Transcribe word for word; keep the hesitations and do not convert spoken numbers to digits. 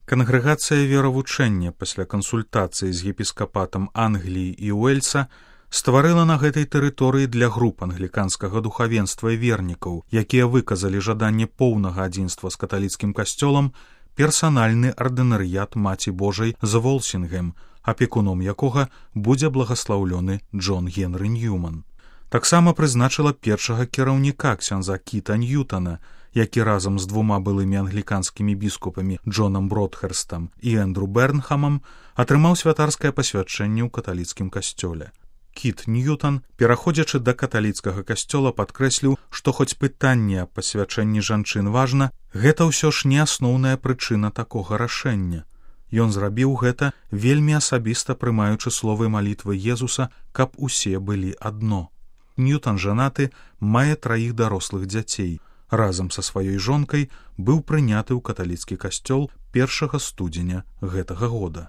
Кангрэгацыя веравучэння пасля кансультацыі з епіскапатам Англіі і Уэльса стварыла на гэтай тэрыторыі для груп англіканскага духавенства і вернікаў, якія выказалі жаданне поўнага адзінства з каталіцкім касцёлам, персанальны ардынарыят Маці Божай з Волсінгем, апекуном якога будзе благаслаўлёны Джон Генры Ньюман. Таксама прызначыла першага кіраўніка ксяндза Кіта Ньютана, які разам з двума былымі англіканскімі біскупамі Джонам Бродхерстам і Эндру Бернхамам атрымаў святарскае пасвячэнне ў каталіцкім касцёле. Кіт Ньютан, пераходзячы да каталіцкага касцёла, падкрэсліў, што хоць пытанне аб пасвячэнні жанчын важна, гэта ўсё ж не асноўная прычына такога рашэння. Ён зрабіў гэта, вельмі асабіста прымаючы словы малітвы Езуса, каб усе былі адно. Ньютан жанаты, мае траіх дарослых дзяцей. Разам са сваёй жонкай быў прыняты ў каталіцкі касцёл першага студзеня гэтага года.